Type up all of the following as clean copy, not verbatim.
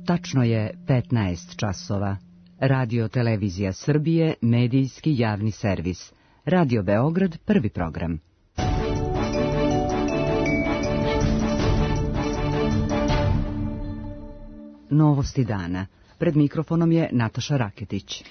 Tačno je 15 časova. Radio Televizija Srbije, medijski javni servis. Radio Beograd, prvi program. Novosti dana. Pred mikrofonom je Nataša Raketić.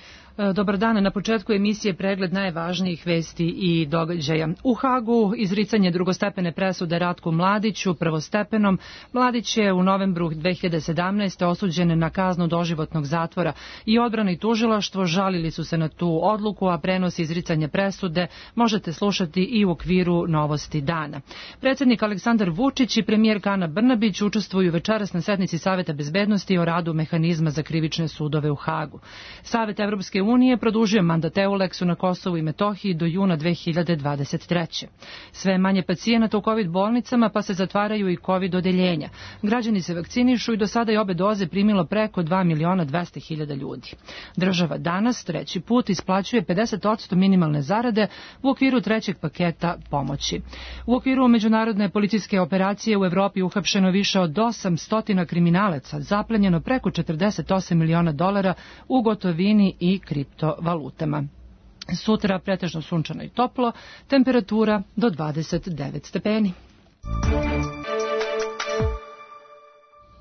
Dobar dan, na početku emisije pregled najvažnijih vesti i događaja. U Hagu izricanje drugostepene presude Ratku Mladiću, prvostepenom. Mladić je u novembru 2017. osuđen na kaznu doživotnog zatvora i odbrana i tužilaštvo žalili su se na tu odluku, a prenos izricanja presude možete slušati i u okviru Novosti dana. Predsjednik Aleksandar Vučić i premijerka Ana Brnabić učestvuju večeras na sednici Saveta bezbednosti o radu mehanizma za krivične sudove u Hagu. Savet Evropske unije produžio mandat EULEX-u na Kosovu i Metohiji do juna 2023. Sve manje pacijenata u COVID bolnicama, pa se zatvaraju i COVID odeljenja. Građani se vakcinišu i do sada je obe doze primilo preko 2.200.000 ljudi. Država danas treći put isplaćuje 50% minimalne zarade u okviru trećeg paketa pomoći. U okviru međunarodne policijske operacije u Evropi uhapšeno više od 800 kriminalaca, zaplenjeno preko $48 miliona u gotovini i kriptovalutama. Sutra pretežno sunčano i toplo, temperatura do 29 stepeni.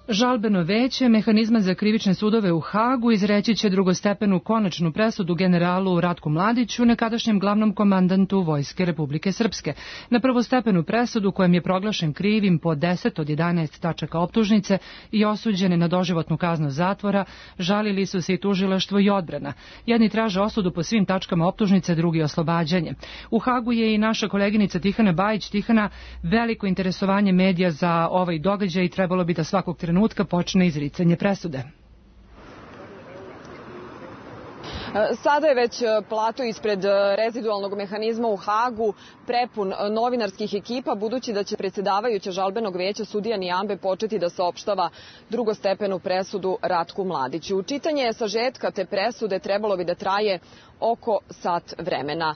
Žalbeno veće mehanizma za krivične sudove u Hagu izreći će drugostepenu konačnu presudu generalu Ratku Mladiću, nekadašnjem glavnom komandantu Vojske Republike Srpske. Na prvostepenu presudu, kojem je proglašen krivim po 10 od 11 tačaka optužnice i osuđene na doživotnu kaznu zatvora, žalili su se i tužilaštvo i odbrana. Jedni traže osudu po svim tačkama optužnice, drugi oslobađanje. U Hagu je i naša koleginica Tihana Bajić. Tihana, veliko interesovanje medija za ovaj događaj i trebalo bi da svakog trenutka počne izricanje presude. Sada je već plato ispred rezidualnog mehanizma u Hagu prepun novinarskih ekipa, budući da će predsjedavajuća žalbenog veća sudija Nijambe početi da saopštava drugostepenu presudu Ratku Mladiću. Čitanje sažetka te presude trebalo bi da traje oko sat vremena.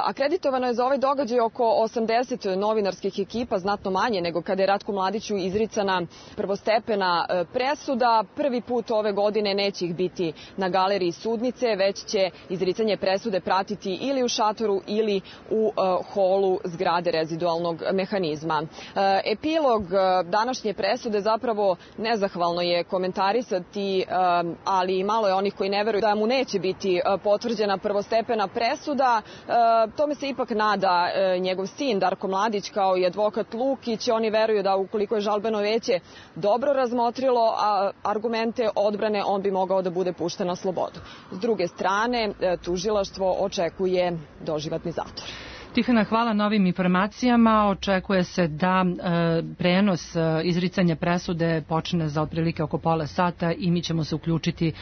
Akreditovano je za ovaj događaj oko 80 novinarskih ekipa, znatno manje nego kada je Ratku Mladiću izricana prvostepena presuda. Prvi put ove godine neće ih biti na galeriji sudnice, već će izricanje presude pratiti ili u šatoru ili u holu zgrade rezidualnog mehanizma. Epilog današnje presude zapravo nezahvalno je komentarisati, ali malo je onih koji ne veruju da mu neće biti potvrđena prvostepena presuda. Tome se ipak nada njegov sin Darko Mladić kao i advokat Lukić. Oni veruju da ukoliko je žalbeno veće dobro razmotrilo argumente odbrane, on bi mogao da bude pušten na slobodu. S druge strane, tužilaštvo očekuje doživotni zatvor. Tihana, hvala na ovim informacijama. Očekuje se da prenos izricanja presude počne za otprilike oko pola sata i mi ćemo se uključiti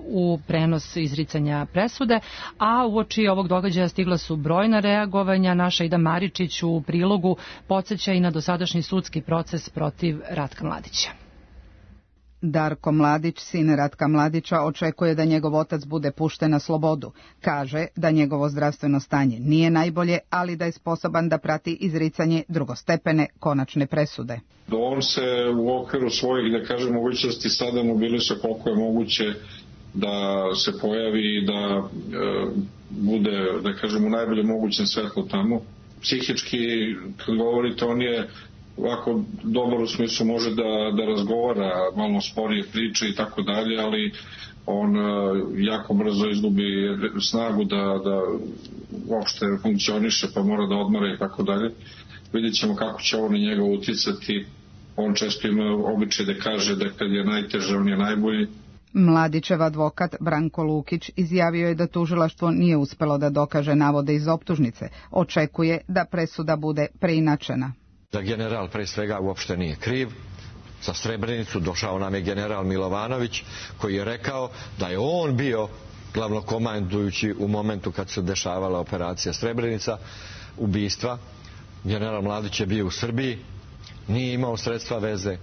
u prenos izricanja presude. A uoči ovog događaja stigla su brojna reagovanja. Naša Ida Maričić u prilogu podsjeća i na dosadašnji sudski proces protiv Ratka Mladića. Darko Mladić, sin Ratka Mladića, očekuje da njegov otac bude pušten na slobodu. Kaže da njegovo zdravstveno stanje nije najbolje, ali da je sposoban da prati izricanje drugostepene konačne presude. On se u okviru svojih, da kažem, mogućnosti sada mobilisuje koliko je moguće da se pojavi i da bude, da kažem, u najboljem mogućem svetlu tamo. Psihički, kad govorite, on je ovako dobar u smislu, može da razgovara, malo sporije priče i tako dalje, ali on jako brzo izgubi snagu da uopšte funkcioniše, pa mora da odmara i tako dalje. Vidjet ćemo kako će ovo na njega uticati. On često ima običaj da kaže da kad je najteže, on je najbolji. Mladićev advokat Branko Lukić izjavio je da tužilaštvo nije uspelo da dokaže navode iz optužnice. Očekuje da presuda bude preinačena. Da general pre svega uopšte nije kriv. Za Srebrenicu došao nam je general Milovanović koji je rekao da je on bio glavnokomandujući u momentu kad se dešavala operacija Srebrenica, ubistva. General Mladić je bio u Srbiji, nije imao sredstva veze,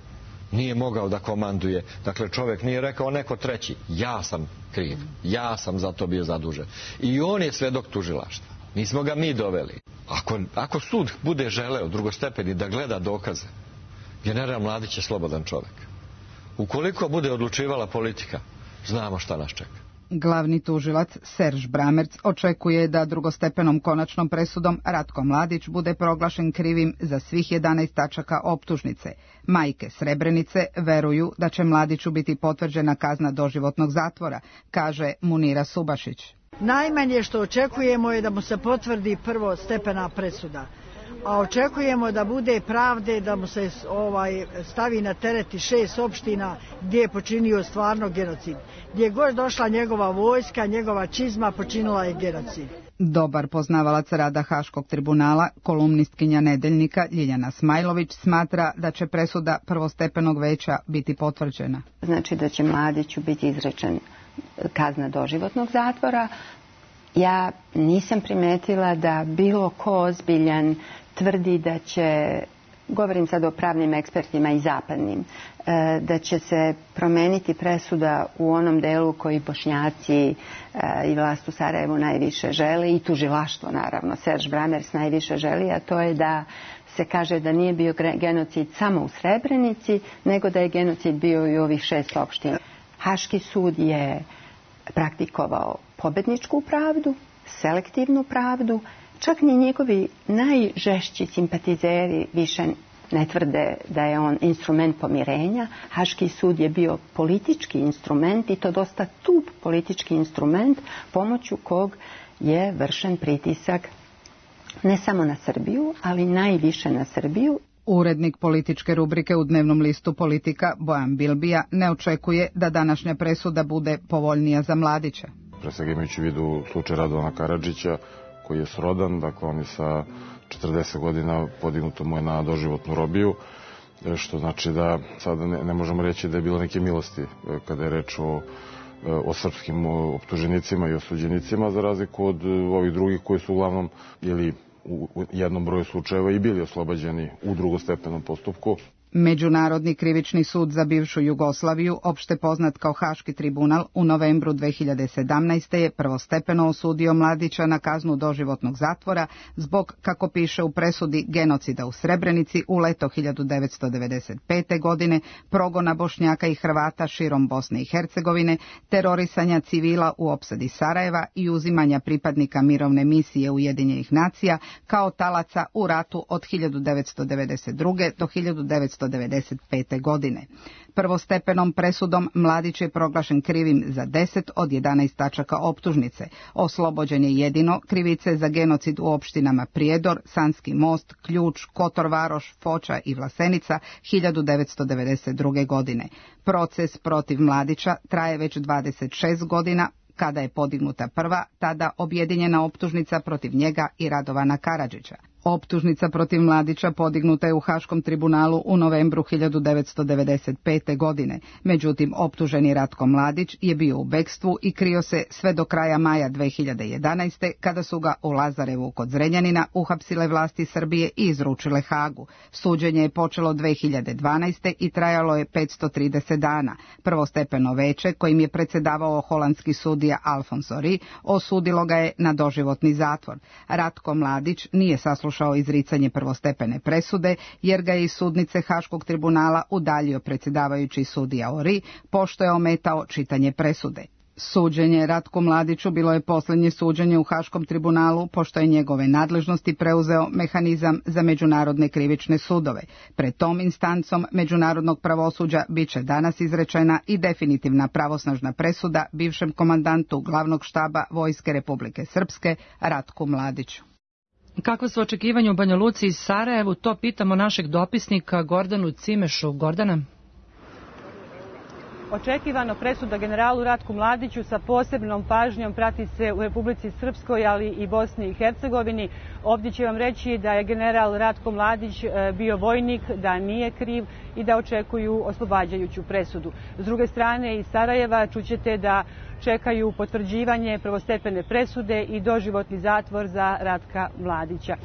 nije mogao da komanduje. Dakle, čovjek nije rekao neko treći, ja sam kriv, ja sam za to bio zadužen. I on je svedok tužilaštva. Nismo ga mi doveli. Ako sud bude želeo drugostepeni da gleda dokaze, general Mladić je slobodan čovjek. Ukoliko bude odlučivala politika, znamo šta nas čeka. Glavni tužilac Serž Bramerc očekuje da drugostepenom konačnom presudom Ratko Mladić bude proglašen krivim za svih 11 tačaka optužnice. Majke Srebrenice veruju da će Mladiću biti potvrđena kazna doživotnog zatvora, kaže Munira Subašić. Najmanje što očekujemo je da mu se potvrdi prvostepena presuda. A očekujemo da bude pravde, da mu se stavi na tereti 6 opština gdje je počinio stvarno genocid. Gdje je god došla njegova vojska, njegova čizma, počinila je genocid. Dobar poznavalac rada Haškog tribunala, kolumnistkinja Nedeljnika Ljiljana Smajlović smatra da će presuda prvostepenog veća biti potvrđena. Znači da će Mladiću biti izrečen kazna doživotnog zatvora. Ja nisam primetila da bilo ko ozbiljan tvrdi da će, govorim sad o pravnim ekspertima i zapadnim, da će se promeniti presuda u onom delu koji Bošnjaci i vlast u Sarajevu najviše žele i tužilaštvo naravno. Serž Bramerc najviše želi, a to je da se kaže da nije bio genocid samo u Srebrenici, nego da je genocid bio i u ovih 6 opština. Haški sud je praktikovao pobedničku pravdu, selektivnu pravdu, čak ni njegovi najžešći simpatizeri više ne tvrde da je on instrument pomirenja. Haški sud je bio politički instrument i to dosta tup politički instrument pomoću kog je vršen pritisak ne samo na Srbiju, ali najviše na Srbiju. Urednik političke rubrike u dnevnom listu Politika Bojan Bilbija ne očekuje da današnja presuda bude povoljnija za Mladića. Pre svega imajući u vidu slučaj Radovana Karadžića koji je srodan, dakle on je sa 40 godina podignuto mu je na doživotnu robiju, što znači da sada ne možemo reći da je bilo neke milosti kada je reč o srpskim optuženicima i osuđenicima, za razliku od ovih drugih koji su uglavnom ili u jednom broju slučajeva i bili oslobađeni u drugostepenom postupku. Međunarodni krivični sud za bivšu Jugoslaviju, opšte poznat kao Haški tribunal, u novembru 2017. je prvostepeno osudio Mladića na kaznu doživotnog zatvora zbog, kako piše u presudi, genocida u Srebrenici u leto 1995. godine, progona Bošnjaka i Hrvata širom Bosne i Hercegovine, terorisanja civila u opsadi Sarajeva i uzimanja pripadnika mirovne misije Ujedinjenih nacija kao talaca u ratu od 1992. do 1995. godine. Prvostepenom presudom Mladić je proglašen krivim za 10 od 11 tačaka optužnice. Oslobođen je jedino krivice za genocid u opštinama Prijedor, Sanski Most, Ključ, Kotor Varoš, Foča i Vlasenica 1992. godine. Proces protiv Mladića traje već 26 godina, kada je podignuta prva, tada objedinjena optužnica protiv njega i Radovana Karadžića. Optužnica protiv Mladića podignuta je u Haškom tribunalu u novembru 1995. godine. Međutim, optuženi Ratko Mladić je bio u bekstvu i krio se sve do kraja maja 2011. kada su ga u Lazarevu kod Zrenjanina uhapsile vlasti Srbije i izručile Hagu. Suđenje je počelo 2012. i trajalo je 530 dana. Prvostepeno veće, kojim je predsjedavao holandski sudija Alfonso Ri, osudilo ga je na doživotni zatvor. Ratko Mladić nije saslušao izricanje prvostepene presude, jer ga je iz sudnice Haškog tribunala udaljio predsjedavajući sudija Ori, pošto je ometao čitanje presude. Suđenje Ratku Mladiću bilo je posljednje suđenje u Haškom tribunalu, pošto je njegove nadležnosti preuzeo mehanizam za međunarodne krivične sudove. Pred tom instancom međunarodnog pravosuđa bit će danas izrečena i definitivna pravosnažna presuda bivšem komandantu glavnog štaba Vojske Republike Srpske Ratku Mladiću. Kakva su očekivanja u Banja Luci i Sarajevu, to pitamo našeg dopisnika Gordanu Cimešu. Gordana? Očekivano presuda generalu Ratku Mladiću sa posebnom pažnjom prati se u Republici Srpskoj, ali i Bosni i Hercegovini. Ovdje će vam reći da je general Ratko Mladić bio vojnik, da nije kriv i da očekuju oslobađajuću presudu. S druge strane, iz Sarajeva čućete da čekaju potvrđivanje prvostepene presude i doživotni zatvor za Ratka Mladića.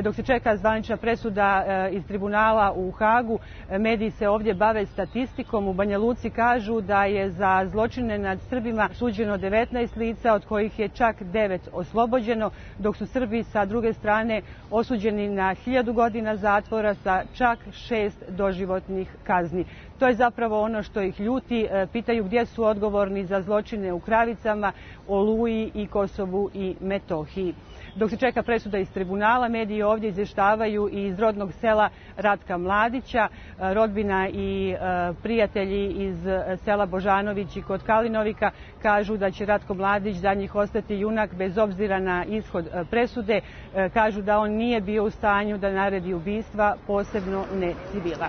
Dok se čeka zvanična presuda iz tribunala u Hagu, mediji se ovdje bave statistikom. U Banja Luci kažu da je za zločine nad Srbima suđeno 19 lica, od kojih je čak 9 oslobođeno, dok su Srbi sa druge strane osuđeni na 1000 godina zatvora sa čak 6 doživotnih kazni. To je zapravo ono što ih ljuti. Pitaju gdje su odgovorni za zločine u Kravicama, Oluji i Kosovu i Metohiji. Dok se čeka presuda iz tribunala, mediji ovdje izvještavaju i iz rodnog sela Ratka Mladića. Rodbina i prijatelji iz sela Božanović i kod Kalinovika kažu da će Ratko Mladić za njih ostati junak bez obzira na ishod presude. Kažu da on nije bio u stanju da naredi ubistva, posebno ne civila.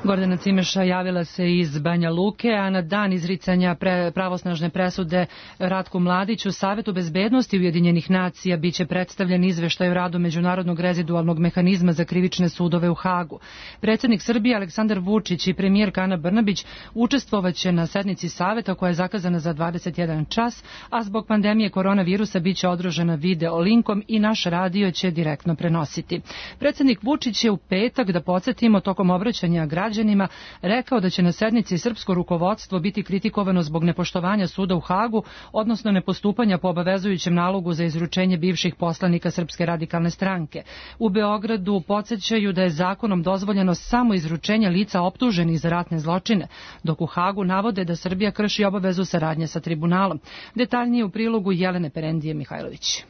Gordana Cimeša javila se iz Banja Luke, a na dan izricanja pravosnažne presude Ratku Mladiću Savetu bezbednosti Ujedinjenih nacija biće predstavljen izveštaj o radu Međunarodnog rezidualnog mehanizma za krivične sudove u Hagu. Predsjednik Srbije Aleksandar Vučić i premijerka Ana Brnabić učestvovaće na sednici Saveta koja je zakazana za 21 čas, a zbog pandemije koronavirusa biće održana video linkom i naš radio će direktno prenositi. Predsjednik Vučić je u petak, da podsjetimo, tokom obraćanja građanima rekao da će na sednici srpsko rukovodstvo biti kritikovano zbog nepoštovanja suda u Hagu, odnosno nepostupanja po obavezujućem nalogu za izručenje bivših poslanika Srpske radikalne stranke. U Beogradu podsjećaju da je zakonom dozvoljeno samo izručenje lica optuženih za ratne zločine, dok u Hagu navode da Srbija krši obavezu saradnje sa tribunalom. Detaljnije u prilogu Jelene Perendije Mihajlović.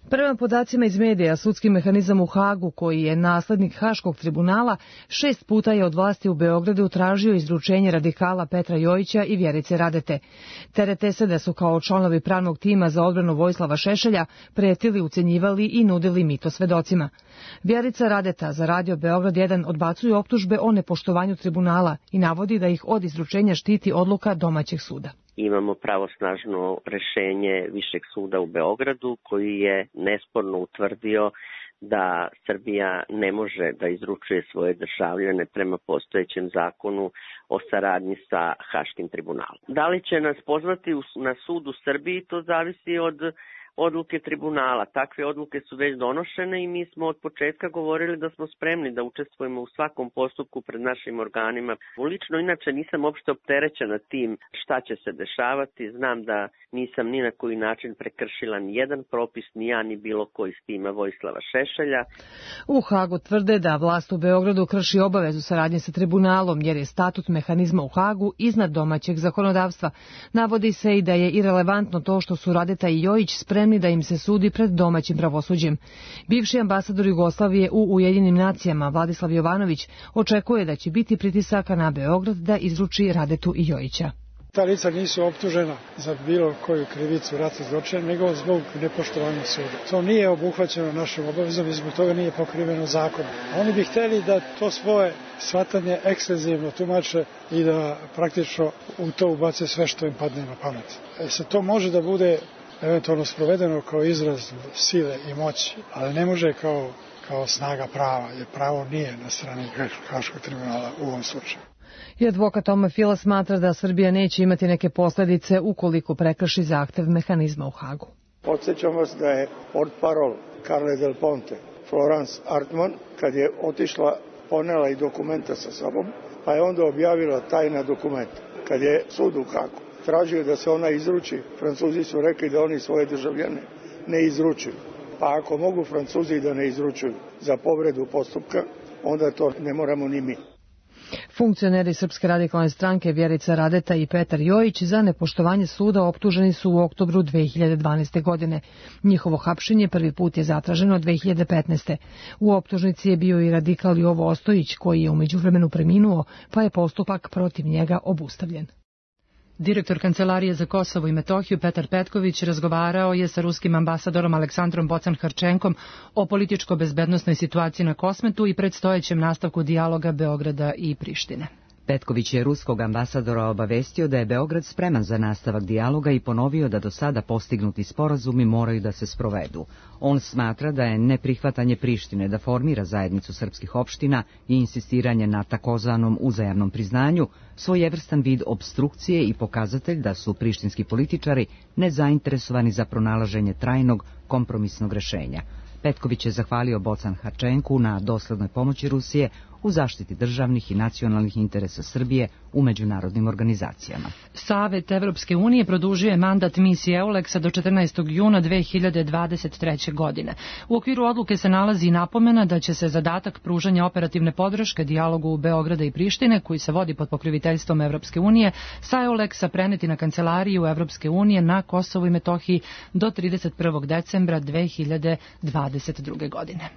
Prema podacima iz medija, sudski mehanizam u Hagu, koji je naslednik Haškog tribunala, 6 puta je od vlasti u Beogradu tražio izručenje radikala Petra Jojića i Vjerice Radete. Terete se da su kao članovi pravnog tima za odbranu Vojislava Šešelja pretili, ucenjivali i nudili mito svedocima. Vjerica Radeta za Radio Beograd 1 odbacuje optužbe o nepoštovanju tribunala i navodi da ih od izručenja štiti odluka domaćeg suda. Imamo pravosnažno rešenje Višeg suda u Beogradu koji je nesporno utvrdio da Srbija ne može da izručuje svoje državljane prema postojećem zakonu o saradnji sa Haškim tribunalom. Da li će nas pozvati na sud u Srbiji, to zavisi od odluke tribunala. Takve odluke su već donošene i mi smo od početka govorili da smo spremni da učestvujemo u svakom postupku pred našim organima. Lično inače nisam uopšte opterećena tim šta će se dešavati. Znam da nisam ni na koji način prekršila ni jedan propis, ni ja ni bilo koji s tima Vojislava Šešelja. U Hagu tvrde da vlast u Beogradu krši obavezu saradnje sa tribunalom jer je statut mehanizma u Hagu iznad domaćeg zakonodavstva. Navodi se i da je irelevantno to što su Radeta i Jojić spremni da im se sudi pred domaćim pravosuđem. Bivši ambasador Jugoslavije u Ujedinjenim nacijama Vladislav Jovanović očekuje da će biti pritisaka na Beograd da izruči Radetu i Jojića. Ta lica nisu optužena za bilo koju krivicu ratnih zločina, nego zbog nepoštovanja suda. To nije obuhvaćeno našom obavezom i zbog toga nije pokriveno zakonom. Oni bi hteli da to svoje shvatanje ekstenzivno tumače i da praktično u to ubace sve što im padne na pamet. Sad to može da bude eventualno sprovedeno kao izraz sile i moći, ali ne može kao snaga prava, jer pravo nije na strani Haškog tribunala u ovom slučaju. I advokat Toma Fila smatra da Srbija neće imati neke posljedice ukoliko prekrši zahtev mehanizma u Hagu. Podsjećam vas da je portparol Carle Del Ponte, Florence Artman, kad je otišla, ponela i dokumenta sa sobom, pa je onda objavila tajna dokumenta. Kad je sud u Hagu tražio da se ona izruči, Francuzi su rekli da oni svoje državljane ne izručuju. Pa ako mogu Francuzi da ne izručuju za povredu postupka, onda to ne moramo ni mi. Funkcioneri Srpske radikalne stranke Vjerica Radeta i Petar Jojić za nepoštovanje suda optuženi su u oktobru 2012. godine. Njihovo hapšenje prvi put je zatraženo 2015. U optužnici je bio i radikal Jovo Ostojić koji je u međuvremenu preminuo, pa je postupak protiv njega obustavljen. Direktor Kancelarije za Kosovo i Metohiju Petar Petković razgovarao je sa ruskim ambasadorom Aleksandrom Bocan-Harčenkom o političko-bezbednosnoj situaciji na Kosmetu i predstojećem nastavku dijaloga Beograda i Prištine. Petković je ruskog ambasadora obavestio da je Beograd spreman za nastavak dijaloga i ponovio da do sada postignuti sporazumi moraju da se sprovedu. On smatra da je neprihvatanje Prištine da formira zajednicu srpskih opština i insistiranje na takozvanom uzajamnom priznanju svojevrstan vid opstrukcije i pokazatelj da su prištinski političari nezainteresovani za pronalaženje trajnog kompromisnog rešenja. Petković je zahvalio Bocan Harčenku na doslednoj pomoći Rusije u zaštiti državnih i nacionalnih interesa Srbije u međunarodnim organizacijama. Savet Evropske unije produžio je mandat misije EULEX-a do 14. juna 2023. godine. U okviru odluke se nalazi i napomena da će se zadatak pružanja operativne podrške dijalogu Beograda i Prištine, koji se vodi pod pokroviteljstvom Evropske unije, sa EULEX-a preneti na kancelariju Evropske unije na Kosovu i Metohiji do 31. decembra 2022. godine.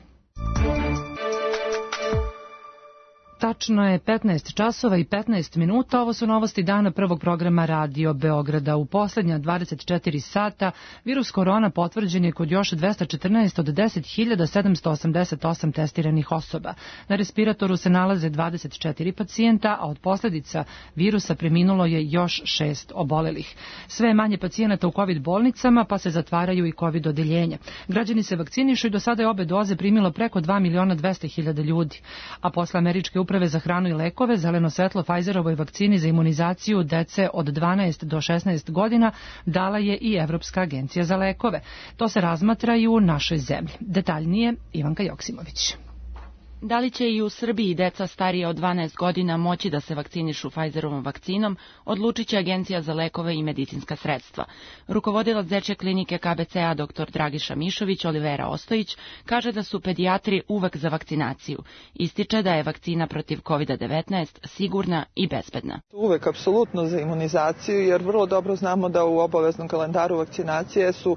Tačno je 15 časova i 15 minuta. Ovo su novosti dana prvog programa Radio Beograda. U posljednja 24 sata virus korona potvrđen je kod još 214 od 10.788 testiranih osoba. Na respiratoru se nalaze 24 pacijenta, a od posljedica virusa preminulo je još 6 obolelih. Sve je manje pacijenata u COVID bolnicama, pa se zatvaraju i COVID odeljenja. Građani se vakcinišu i do sada je obe doze primilo preko 2.200.000 ljudi. A posle američke uprave za hranu i lekove zeleno svetlo Pfizerovoj vakcini za imunizaciju dece od 12 do 16 godina dala je i Evropska agencija za lekove. To se razmatra i u našoj zemlji. Detaljnije Ivanka Joksimović. Da li će i u Srbiji deca starije od 12 godina moći da se vakcinišu Pfizerovom vakcinom, odlučit će Agencija za lekove i medicinska sredstva. Rukovodilac dečje klinike KBC-a dr. Dragiša Mišović, Olivera Ostojić, kaže da su pedijatri uvek za vakcinaciju. Ističe da je vakcina protiv COVID-19 sigurna i bezbedna. Uvek apsolutno za imunizaciju, jer vrlo dobro znamo da u obaveznom kalendaru vakcinacije su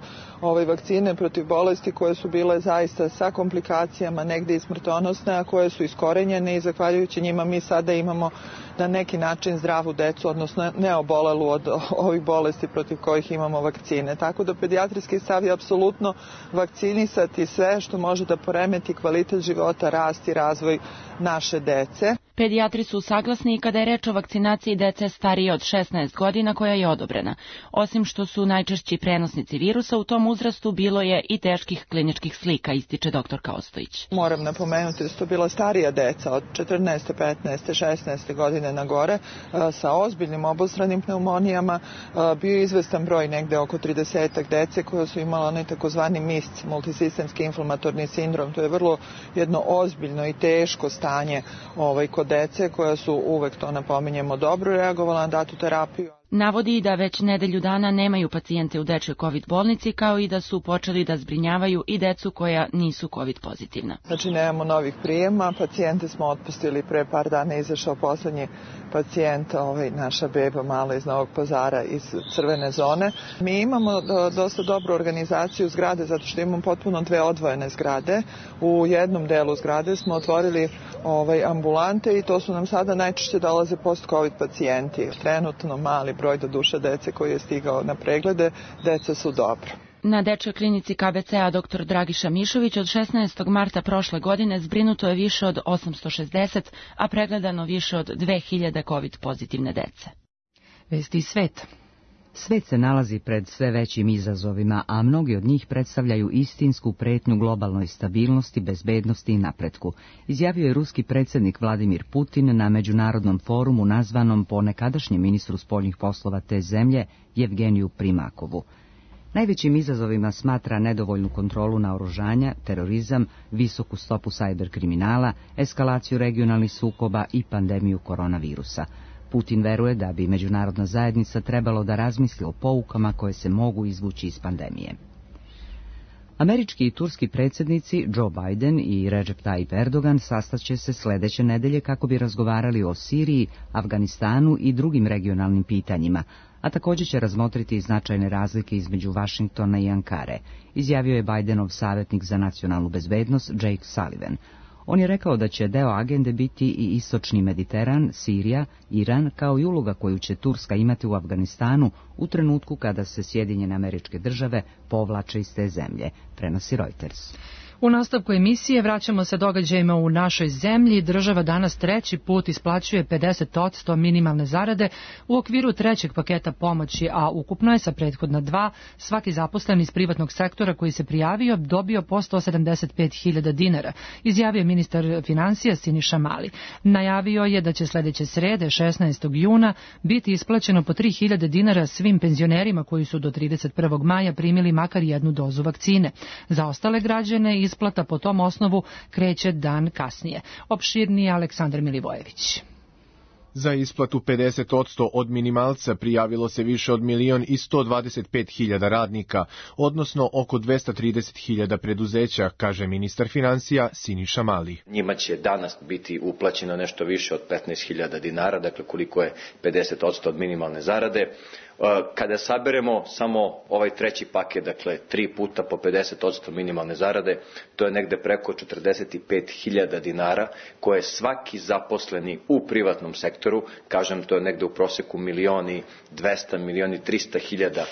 vakcine protiv bolesti koje su bile zaista sa komplikacijama, negde i smrtonosne, a koje su iskorenjene i zahvaljujući njima mi sada imamo na neki način zdravu decu, odnosno ne obolelu od ovih bolesti protiv kojih imamo vakcine. Tako da pedijatrijski stav je apsolutno vakcinisati sve što može da poremeti kvalitet života, rast i razvoj naše dece. Pedijatri su saglasni i kada je reč o vakcinaciji dece starije od 16 godina koja je odobrena. Osim što su najčešći prenosnici virusa, u tom uzrastu bilo je i teških kliničkih slika, ističe doktorka Ostojić. Moram napomenuti da su to bila starija deca od 14. 15. 16. godine na gore sa ozbiljnim obostranim pneumonijama. Bio je izvestan broj, negde oko 30 dece koja su imala onaj takozvani MISC, multisistemski inflamatorni sindrom. To je vrlo jedno ozbiljno i teško stanje kod dece koja su uvek, to napominjemo, dobro reagovala na datu terapiju. Navodi da već nedelju dana nemaju pacijente u dečjoj COVID bolnici, kao i da su počeli da zbrinjavaju i decu koja nisu COVID pozitivna. Znači nemamo novih prijema, pacijente smo otpustili pre par dana, izašao poslednji pacijent, naša beba mala iz Novog Pazara iz crvene zone. Mi imamo dosta dobru organizaciju zgrade zato što imamo potpuno dve odvojene zgrade. U jednom delu zgrade smo otvorili ambulante i to su nam sada najčešće dolaze post-COVID pacijenti. Trenutno mali broj do duše dece koji je stigao na preglede, deca su dobro. Na dečjoj klinici KBC-a dr. Dragiša Mišović od 16. marta prošle godine zbrinuto je više od 860, a pregledano više od 2000 COVID pozitivne dece. Vesti iz sveta. Svet se nalazi pred sve većim izazovima, a mnogi od njih predstavljaju istinsku pretnju globalnoj stabilnosti, bezbednosti i napretku, izjavio je ruski predsjednik Vladimir Putin na međunarodnom forumu nazvanom po nekadašnjem ministru spoljnih poslova te zemlje Jevgeniju Primakovu. Najvećim izazovima smatra nedovoljnu kontrolu naoružanja, terorizam, visoku stopu sajber kriminala, eskalaciju regionalnih sukoba i pandemiju koronavirusa. Putin veruje da bi međunarodna zajednica trebalo da razmisli o poukama koje se mogu izvući iz pandemije. Američki i turski predsjednici Joe Biden i Recep Tayyip Erdogan sastaće se sljedeće nedelje kako bi razgovarali o Siriji, Afganistanu i drugim regionalnim pitanjima, a također će razmotriti značajne razlike između Vašingtona i Ankare, izjavio je Bidenov savjetnik za nacionalnu bezbednost Jake Sullivan. On je rekao da će deo agende biti i istočni Mediteran, Sirija, Iran, kao i uloga koju će Turska imati u Afganistanu u trenutku kada se Sjedinjene Američke Države povlače iz te zemlje, prenosi Reuters. U nastavku emisije vraćamo se događajima u našoj zemlji. Država danas treći put isplaćuje 50% minimalne zarade u okviru trećeg paketa pomoći, a ukupno je sa prethodna dva svaki zaposlen iz privatnog sektora koji se prijavio dobio po 175.000 dinara, izjavio ministar financija Siniša Mali. Najavio je da će sljedeće srede, 16. juna, biti isplaćeno po 3.000 dinara svim penzionerima koji su do 31. maja primili makar jednu dozu vakcine. Za ostale građane iz isplata po tom osnovu kreće dan kasnije. Opširnije Aleksandar Milivojević. Za isplatu 50% od minimalca prijavilo se više od 1.125.000 radnika, odnosno oko 230.000 preduzeća, kaže ministar finansija Siniša Mali. Njima će danas biti uplaćeno nešto više od 15.000 dinara, dakle koliko je 50% od minimalne zarade. Kada saberemo samo ovaj treći paket, dakle 3 puta po 50% minimalne zarade, to je negde preko 45.000 dinara koje svaki zaposleni u privatnom sektoru, kažem to je negde u proseku 1.200.000, 1.300.000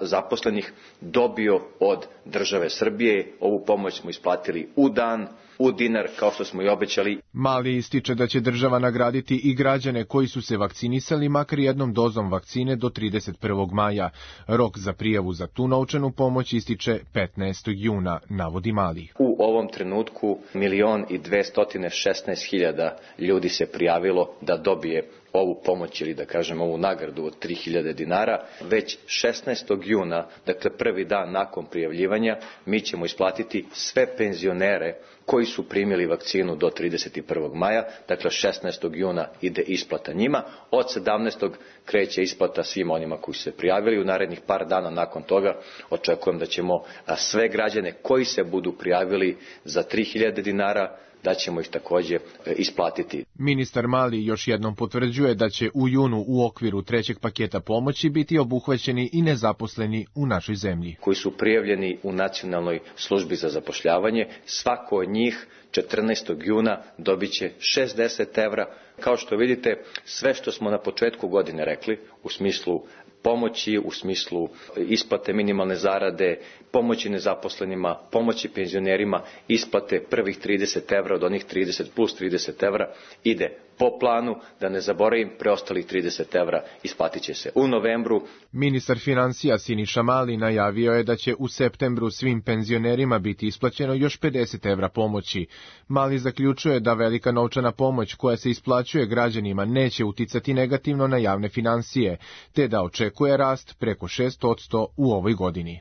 zaposlenih, dobio od države Srbije. Ovu pomoć smo isplatili u dan, u dinar, kao što smo i obećali. Mali ističe da će država nagraditi i građane koji su se vakcinisali makar jednom dozom vakcine do 31. maja. Rok za prijavu za tu novčanu pomoć ističe 15. juna, navodi Mali. U ovom trenutku 1.216.000 ljudi se prijavilo da dobije ovu pomoć ili da kažem ovu nagradu od 3.000 dinara. Već 16. juna, dakle prvi dan nakon prijavljivanja, mi ćemo isplatiti sve penzionere koji su primili vakcinu do 31. maja, dakle 16. juna ide isplata njima, od 17. kreće isplata svima onima koji su se prijavili. U narednih par dana nakon toga očekujem da ćemo sve građane koji se budu prijavili za 3.000 dinara, da ćemo ih također isplatiti. Ministar Mali još jednom potvrđuje da će u junu u okviru trećeg paketa pomoći biti obuhvaćeni i nezaposleni u našoj zemlji. Koji su prijavljeni u Nacionalnoj službi za zapošljavanje, svako od njih 14. juna dobit će 60 evra. Kao što vidite, sve što smo na početku godine rekli u smislu pomoći, u smislu isplate minimalne zarade, pomoći nezaposlenima, pomoći penzionerima, isplate prvih 30 evra od onih 30 plus 30 evra ide po planu, da ne zaboravim, preostalih 30 evra isplatit će se u novembru. Ministar finansija Siniša Mali najavio je da će u septembru svim penzionerima biti isplaćeno još 50 evra pomoći. Mali zaključuje da velika novčana pomoć koja se isplaćuje građanima neće uticati negativno na javne finansije, te da očekuje rast preko 6% u ovoj godini.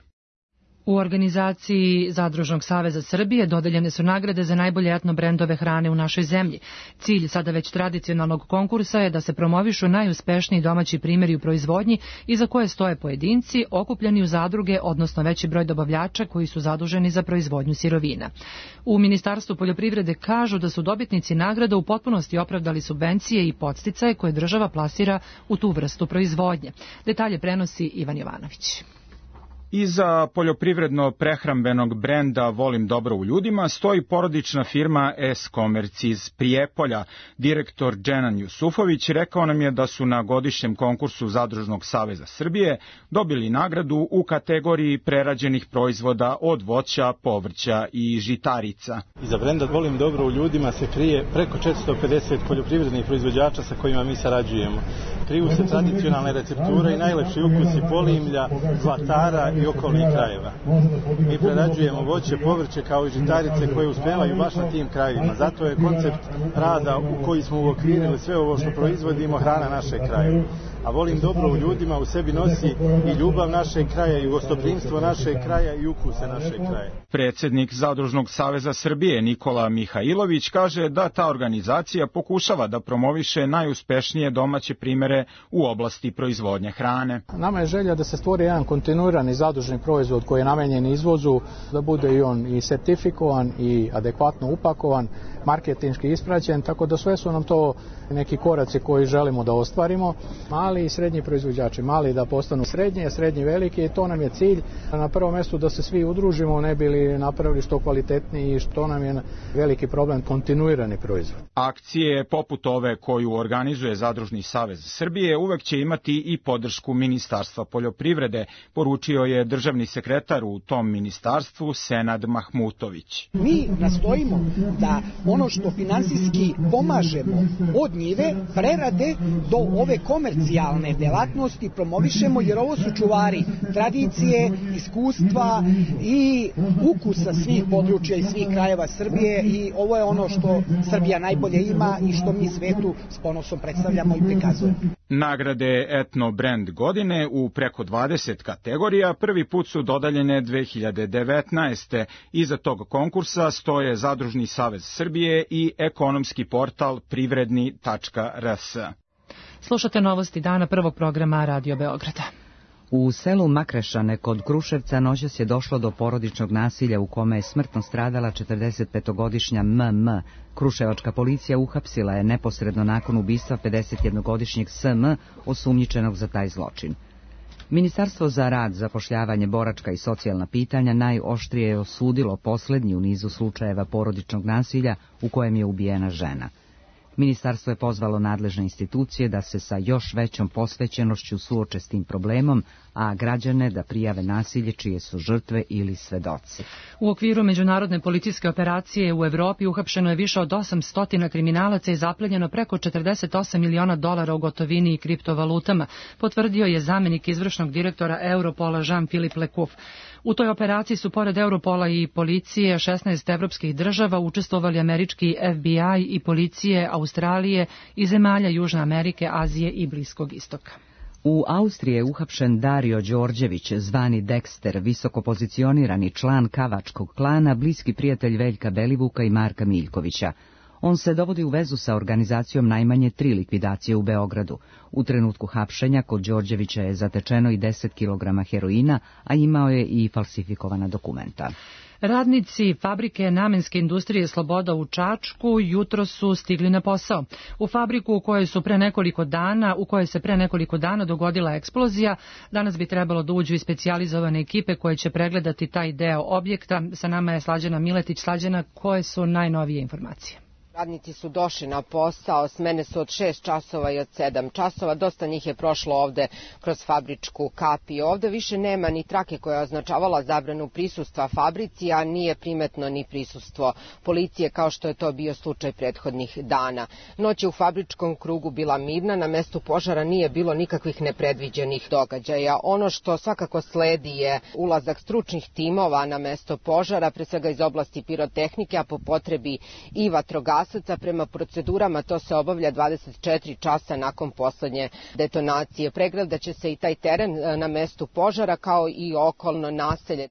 U organizaciji Zadružnog saveza Srbije dodeljene su nagrade za najbolje etno brendove hrane u našoj zemlji. Cilj sada već tradicionalnog konkursa je da se promovišu najuspešniji domaći primjeri u proizvodnji iza koje stoje pojedinci okupljeni u zadruge, odnosno veći broj dobavljača koji su zaduženi za proizvodnju sirovina. U Ministarstvu poljoprivrede kažu da su dobitnici nagrada u potpunosti opravdali subvencije i podsticaje koje država plasira u tu vrstu proizvodnje. Detalje prenosi Ivan Jovanović. Iza poljoprivredno-prehrambenog brenda Volim dobro u ljudima stoji porodična firma S-Commerce iz Prijepolja. Direktor Dženan Jusufović rekao nam je da su na godišnjem konkursu Zadružnog saveza Srbije dobili nagradu u kategoriji prerađenih proizvoda od voća, povrća i žitarica. Iza brenda Volim dobro u ljudima se krije preko 450 poljoprivrednih proizvođača sa kojima mi sarađujemo. Kriju se tradicionalne recepture i najlepši ukusi Polimlja, Zlatara i okolnih krajeva. Mi prerađujemo voće, povrće kao i žitarice koje uspevaju baš na tim krajevima. Zato je koncept rada u koji smo uokvirili sve ovo što proizvodimo hrana našeg kraja. A Volim dobro u ljudima u sebi nosi i ljubav našeg kraja i gostoprimstvo našeg kraja i ukuse našeg kraja. Predsjednik Zadružnog saveza Srbije Nikola Mihajlović kaže da ta organizacija pokušava da promoviše najuspešnije domaće primere u oblasti proizvodnje hrane. Nama je želja da se stvori jedan kontinuirani zadružni proizvod koji je namenjen izvozu, da bude i on i sertifikovan i adekvatno upakovan, marketinški ispraćen, tako da sve su nam to neki koraci koji želimo da ostvarimo. Mali i srednji proizvođači, mali da postanu srednji veliki, i to nam je cilj. Na prvom mjestu da se svi udružimo, ne bi li napravili što kvalitetniji i što nam je veliki problem, kontinuirani proizvod. Akcije poput ove koju organizuje Zadružni savez Srbije uvek će imati i podršku Ministarstva poljoprivrede, poručio je državni sekretar u tom ministarstvu Senad Mahmutović. Mi nastojimo da ono što finansijski pomažemo od njive, prerade do ove komercijalne delatnosti promovišemo, jer ovo su čuvari tradicije, iskustva i ukusa svih područja i svih krajeva Srbije, i ovo je ono što Srbija najbolje ima i što mi svetu s ponosom predstavljamo i prikazujemo. Nagrade Etno Brand godine u preko 20 kategorija prvi put su dodeljene 2019. Iza tog konkursa stoje Zadružni savez Srbije i ekonomski portal privredni.rs. Slušate novosti dana prvog programa Radio Beograda. U selu Makrešane kod Kruševca noćas je došlo do porodičnog nasilja u kome je smrtno stradala 45-godišnja MM. Kruševačka policija uhapsila je neposredno nakon ubistva 51-godišnjeg SM osumnjičenog za taj zločin. Ministarstvo za rad, zapošljavanje, boračka i socijalna pitanja najoštrije je osudilo poslednji u nizu slučajeva porodičnog nasilja u kojem je ubijena žena. Ministarstvo je pozvalo nadležne institucije da se sa još većom posvećenošću suoče s tim problemom, a građane da prijave nasilje čije su žrtve ili svedoci. U okviru međunarodne policijske operacije u Evropi uhapšeno je više od 800 kriminalaca i zaplenjeno preko 48 miliona dolara u gotovini i kriptovalutama, potvrdio je zamenik izvršnog direktora Europola Jean-Philippe Lecouf. U toj operaciji su pored Europola i policije 16 evropskih država učestvovali američki FBI i policije Australije i zemalja Južne Amerike, Azije i Bliskog istoka. U Austriji je uhapšen Dario Đorđević, zvani Dexter, visoko pozicionirani član Kavačkog klana, bliski prijatelj Veljka Belivuka i Marka Miljkovića. On se dovodi u vezu sa organizacijom najmanje 3 likvidacije u Beogradu. U trenutku hapšenja kod Đorđevića je zatečeno i 10 kg heroina, a imao je i falsifikovana dokumenta. Radnici fabrike namenske industrije Sloboda u Čačku jutro su stigli na posao. U fabriku u kojoj se pre nekoliko dana dogodila eksplozija, danas bi trebalo da uđu i specijalizovane ekipe koje će pregledati taj deo objekta. Sa nama je Slađana Miletić. Slađana, koje su najnovije informacije? Radnici su došli na posao, smene su od 6 časova i od 7 časova, dosta njih je prošlo ovde kroz fabričku kapi. Ovde više nema ni trake koja je označavala zabranu prisustva fabrici, a nije primetno ni prisustvo policije kao što je to bio slučaj prethodnih dana. Noć je u fabričkom krugu bila mirna, na mestu požara nije bilo nikakvih nepredviđenih događaja. Ono što svakako sledi je ulazak stručnih timova na mesto požara, pre svega iz oblasti pirotehnike, a po potrebi i vatrogasaca. Prema procedurama to se obavlja 24 časa nakon poslednje detonacije. Pregledat će se i taj teren na mestu požara kao i okolno naselje.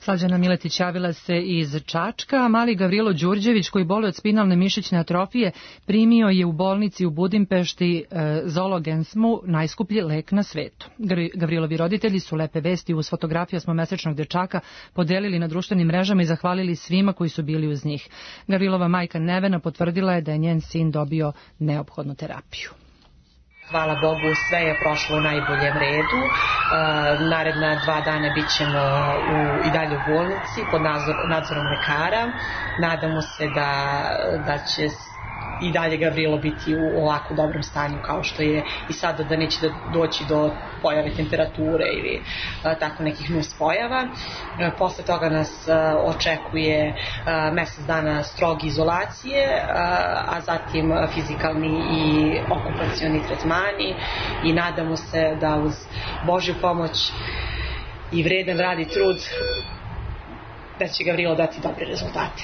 Slađana Miletić javila se iz Čačka, a mali Gavrilo Đurđević, koji boluje od spinalne mišićne atrofije, primio je u bolnici u Budimpešti Zologensmu najskuplji lek na svetu. Gavrilovi roditelji su lepe vesti uz fotografiju osmomesečnog dečaka podelili na društvenim mrežama i zahvalili svima koji su bili uz njih. Gavrilova majka Nevena potvrdila je da je njen sin dobio neophodnu terapiju. Hvala Bogu, sve je prošlo u najboljem redu. Naredna 2 dana bit ćemo i dalje u bolnici pod nadzorom lekara. Nadamo se da će i dalje Gavrilo biti u ovako dobrom stanju kao što je i sada, da neće doći do pojave temperature ili tako nekih nuspojava. Posle toga nas očekuje mesec dana stroge izolacije, a zatim fizikalni i okupacioni tretmani i nadamo se da uz Božju pomoć i vredan rad i trud da će Gavrilo dati dobre rezultate.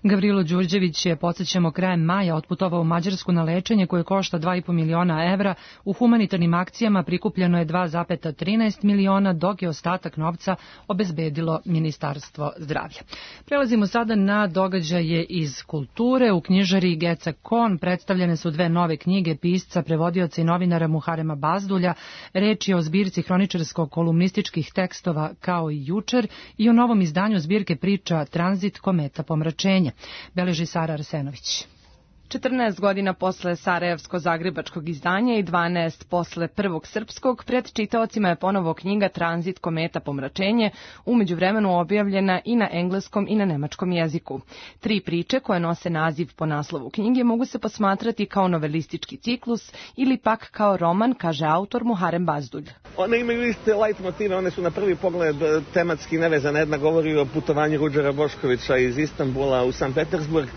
Gavrilo Đurđević je, podsjećamo, krajem maja otputovao u Mađarsku na lečenje koje košta 2,5 miliona evra. U humanitarnim akcijama prikupljeno je 2,13 miliona, dok je ostatak novca obezbedilo Ministarstvo zdravlja. Prelazimo sada na događaje iz kulture. U knjižari Geca Kon predstavljene su 2 nove knjige pisca, prevodioca i novinara Muharema Bazdulja. Reč je o zbirci hroničarsko-kolumnističkih tekstova Kao i jučer i o novom izdanju zbirke priča Tranzit, kometa, pomračenje. Beleži Sara Arsenović. 14 godina posle sarajevsko-zagrebačkog izdanja i 12 posle prvog srpskog, pred čitaocima je ponovo knjiga Tranzit, kometa, pomračenje, u međuvremenu objavljena i na engleskom i na nemačkom jeziku. 3 priče koje nose naziv po naslovu knjige mogu se posmatrati kao novelistički ciklus ili pak kao roman, kaže autor Muharem Bazdulj. One imaju iste light motive, one su na prvi pogled tematski nevezane. Jedna govori o putovanju Ruđera Boškovića iz Istanbula u San Petersburg,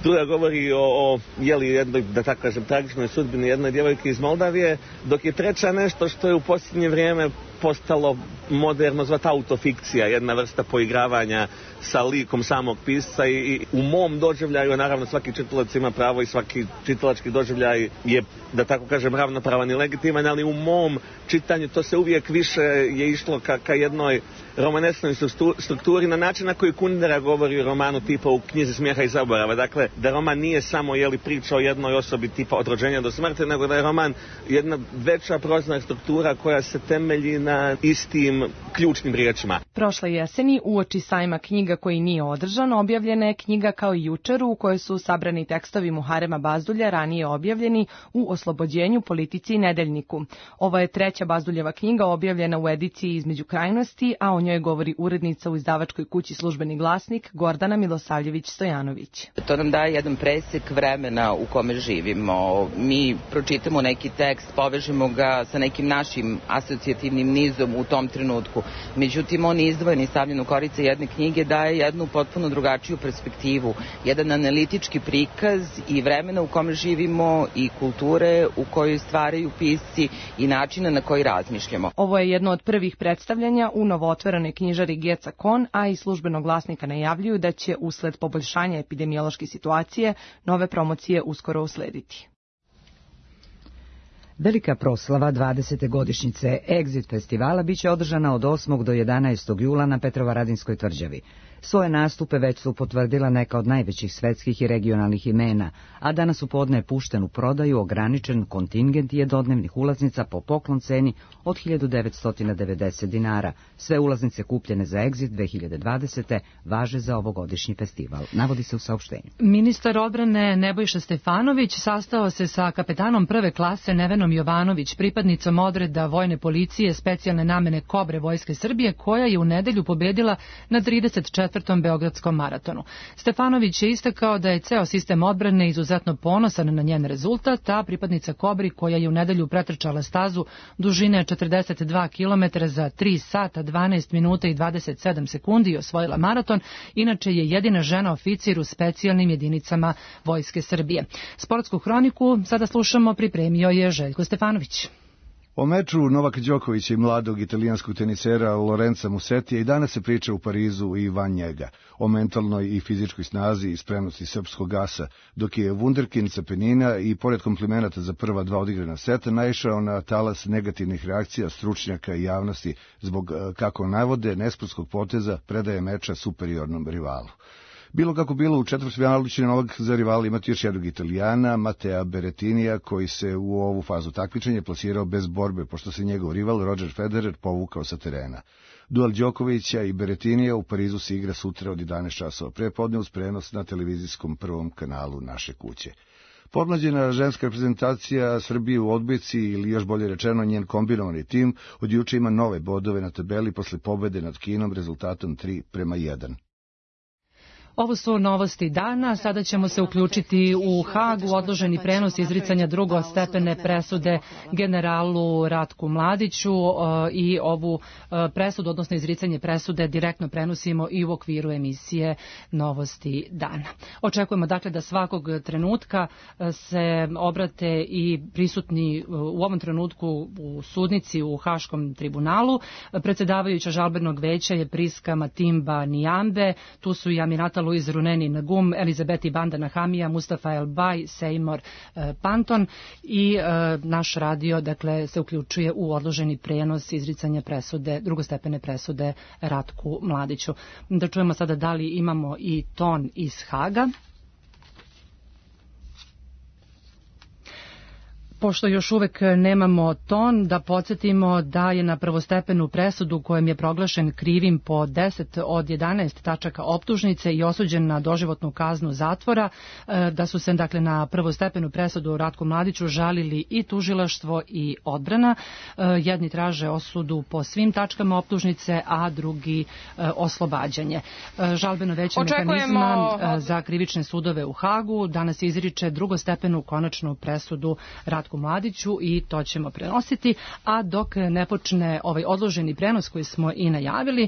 druga govori o jednoj, da tako kažem, tragičnoj sudbini jedne djevojke iz Moldavije, dok je treća nešto što je u posljednje vrijeme postalo moderno zvati autofikcija, jedna vrsta poigravanja sa likom samog pisca i u mom doživljaju, naravno svaki čitalac ima pravo i svaki čitalački doživljaj je, da tako kažem, ravnopravan i legitiman, ali u mom čitanju to se uvijek više je išlo ka jednoj romanesnoj strukturi na način na koji Kundera govori o romanu tipa u Knjizi smijeha i zaborava. Dakle, da roman nije samo priča o jednoj osobi tipa od rođenja do smrti, nego da je roman jedna veća prozna struktura koja se temelji na istim ključnim riječima. Prošle jeseni, uoči sajma knjiga koji nije održan, objavljena je knjiga Kao i jučer, u kojoj su sabrani tekstovi Muharema Bazdulja, ranije objavljeni u Oslobođenju, Politici i Nedeljniku. Ovo je treća Bazduljeva knjiga objavljena u ediciji Između krajnosti, a o njoj govori urednica u izdavačkoj kući Službeni glasnik Gordana Milosavljević-Stojanović. To nam daje jedan presek vremena u kome živimo. Mi pročitamo neki tekst, povežemo ga sa nekim našim asocijativnim nizom u tom trenutku. Međutim, on izdvojen i stavljen u korice jedne knjige daje jednu potpuno drugačiju perspektivu, jedan analitički prikaz i vremena u kome živimo i kulture u kojoj stvaraju pisci i načina na koji razmišljamo. Ovo je jedno od prvih predstavljanja u novootvorenoj knjižari Geca Kon, a i Službenog glasnika najavljuju da će usled poboljšanja epidemiološke situacije nove promocije uskoro uslediti. Velika proslava 20. godišnjice Exit festivala biće održana od 8. do 11. jula na Petrovaradinskoj tvrđavi. Svoje nastupe već su potvrdila neka od najvećih svetskih i regionalnih imena, a danas u podne je pušten u prodaju ograničen kontingent jednodnevnih ulaznica po poklon ceni od 1990 dinara. Sve ulaznice kupljene za Exit 2020. važe za ovogodišnji festival, navodi se u saopštenju. Ministar odbrane Nebojša Stefanović sastao se sa kapetanom prve klase Nevenom Jovanović, pripadnicom odreda vojne policije specijalne namene Kobre Vojske Srbije, koja je u nedelju pobedila na 34. Beogradskom maratonu. Stefanović je istakao da je ceo sistem odbrane izuzetno ponosan na njen rezultat, a pripadnica Kobri, koja je u nedelju pretrčala stazu dužine 42 km za 3 sata, 12 minuta i 27 sekundi i osvojila maraton, inače je jedina žena oficir u specijalnim jedinicama Vojske Srbije. Sportsku hroniku sada slušamo, pripremio je Željko Stefanović. O meču Novaka Đokovića i mladog italijanskog tenisera Lorenza Musetija i danas se priča u Parizu i van njega, o mentalnoj i fizičkoj snazi i spremnosti srpskog asa, dok je Wunderkind sa Penina i pored komplimenata za prva dva odigrana seta naišao na talas negativnih reakcija stručnjaka i javnosti zbog, kako navode, nesportskog poteza predaje meča superiornom rivalu. Bilo kako bilo, u četvrtfinalu će Novak za rivala imati još jednog Italijana, Matea Berrettinija, koji se u ovu fazu takmičenja plasirao bez borbe, pošto se njegov rival Roger Federer povukao sa terena. Duel Đokovića i Berrettinija u Parizu se igra sutra od 11 časova prepodne uz prenos na televizijskom prvom kanalu naše kuće. Podmlađena ženska reprezentacija Srbije u odbojci, ili još bolje rečeno njen kombinovani tim, od juče ima nove bodove na tabeli posle pobede nad Kinom rezultatom 3:1. Ovo su novosti dana. Sada ćemo se uključiti u Hagu, odloženi prenos izricanja drugostepene presude generalu Ratku Mladiću i ovu presudu, odnosno izricanje presude, direktno prenosimo i u okviru emisije Novosti dana. Očekujemo dakle da svakog trenutka se obrate i prisutni u ovom trenutku u sudnici u Haškom tribunalu. Predsjedavajuća žalbenog veća je Priska Matimba Nijambe, tu su i Aminata Luiz Runeni Nagum, Elizabeti Bandana Hamija, Mustafa El Baj, Seymour Panton i naš radio dakle se uključuje u odloženi prenos izricanja presude, drugostepene presude Ratku Mladiću. Da čujemo sada da li imamo i ton iz Haga. Pošto još uvek nemamo ton, da podsjetimo da je na prvostepenu presudu kojem je proglašen krivim po 10 od 11 tačaka optužnice i osuđen na doživotnu kaznu zatvora, da su se dakle na prvostepenu presudu Ratku Mladiću žalili i tužilaštvo i odbrana. Jedni traže osudu po svim tačkama optužnice, a drugi oslobađanje. Žalbeno veće mehanizma za krivične sudove u Hagu danas izriče drugostepenu konačnu presudu Ratku Ratku Mladiću i to ćemo prenositi, a dok ne počne ovaj odloženi prenos koji smo i najavili,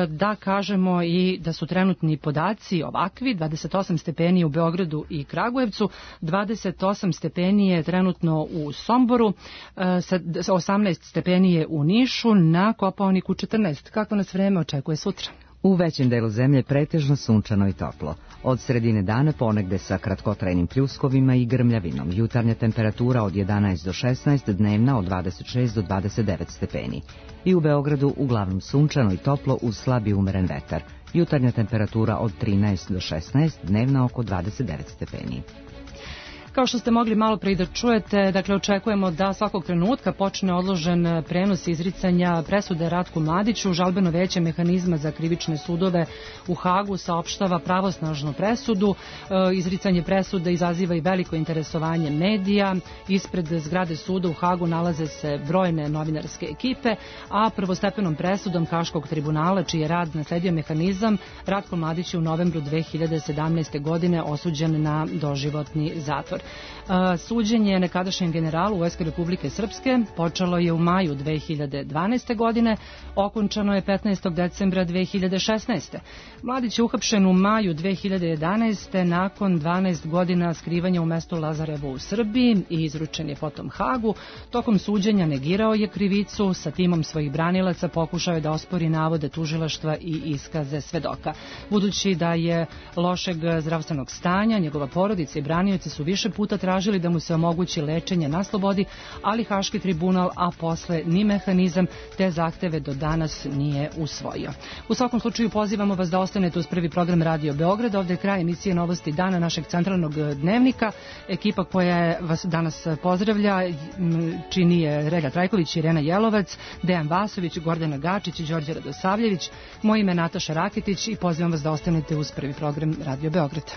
da kažemo i da su trenutni podaci ovakvi: 28 stepeni u Beogradu i Kragujevcu, 28 stepeni je trenutno u Somboru, 18 stepeni je u Nišu, na Kopaoniku 14. Kako nas vreme očekuje sutra? U većem delu zemlje pretežno sunčano i toplo. Od sredine dana ponegde sa kratkotrajnim pljuskovima i grmljavinom. Jutarnja temperatura od 11 do 16, dnevna od 26 do 29 stepeni. I u Beogradu uglavnom sunčano i toplo uz slab i umeren vetar. Jutarnja temperatura od 13 do 16, dnevna oko 29 stepeni. Kao što ste mogli malo pre da čujete, dakle očekujemo da svakog trenutka počne odložen prenos izricanja presude Ratku Mladiću. Žalbeno veće mehanizma za krivične sudove u Hagu saopštava pravosnažnu presudu. Izricanje presude izaziva i veliko interesovanje medija. Ispred zgrade suda u Hagu nalaze se brojne novinarske ekipe, a prvostepenom presudom Haškog tribunala, čiji je rad nasledio mehanizam, Ratko Mladić je u novembru 2017. godine osuđen na doživotni zatvor. Suđenje nekadašnjem generalu Vojske Republike Srpske počelo je u maju 2012. godine, okončano je 15. decembra 2016. Mladić je uhapšen u maju 2011. nakon 12 godina skrivanja u mestu Lazarevo u Srbiji i izručen je potom Hagu. Tokom suđenja negirao je krivicu, sa timom svojih branilaca pokušao je da ospori navode tužilaštva i iskaze svedoka. Budući da je lošeg zdravstvenog stanja, njegova porodica i branioci su više puta tražili da mu se omogući lečenje na slobodi, ali Haški tribunal, a posle ni mehanizam, te zahteve do danas nije usvojio. U svakom slučaju pozivamo vas da ostanete uz prvi program Radio Beograd. Ovde je kraj emisije Novosti dana našeg centralnog dnevnika. Ekipa koja vas danas pozdravlja čini je Rega Trajković, Irena Jelovac, Dejan Vasović, Gordana Gačić i Đorđe Radosavljević. Moje ime je Nataša Rakitić i pozivam vas da ostanete uz prvi program Radio Beograd.